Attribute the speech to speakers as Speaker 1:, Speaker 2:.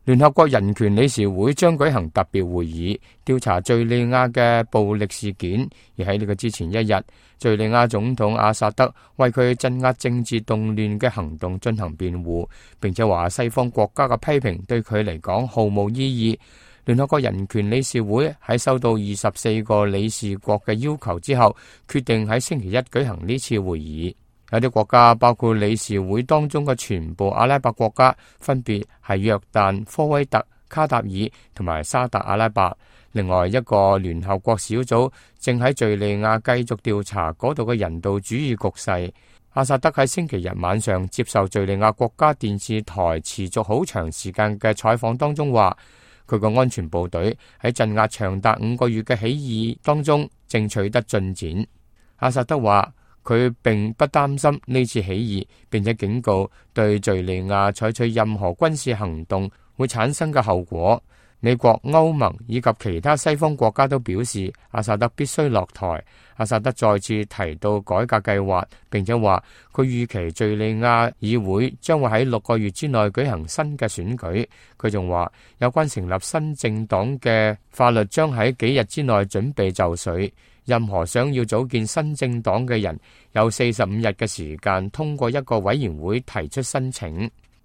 Speaker 1: 聯合國人權理事會將舉行特別會議，調查敘利亞嘅暴力事件。而喺呢個之前一日，敘利亞總統阿薩德為佢鎮壓政治動亂嘅行動進行辯護，並且話西方國家嘅批評對佢嚟講毫無意義。聯合國人權理事會喺收到24個理事國嘅要求之後，決定喺星期一舉行呢次會議。有啲國家，包括理事會當中嘅全部阿拉伯國家，分別係約旦、科威特、卡塔爾同埋沙特阿拉伯。另外一個聯合國小組正喺敘利亞繼續調查嗰度嘅人道主義局勢。阿薩德喺星期日晚上接受敘利亞國家電視台持續好長時間嘅採訪當中話，佢個安全部隊喺鎮壓長達5個月嘅起義當中正取得進展。阿薩德話，佢並不擔心呢次起義，並且警告對敘利亞採取任何軍事行動會產生嘅後果。美國、歐盟以及其他西方國家都表示阿薩德必須落台。阿薩德再次提到改革計劃，並且話佢預期敘利亞議會將會喺6個月之內舉行新嘅選舉。佢仲話有關成立新政黨嘅法律將喺幾日之內準備就緒。任何想要組建新政黨嘅人有45日嘅時間通過一個委員會提出申請。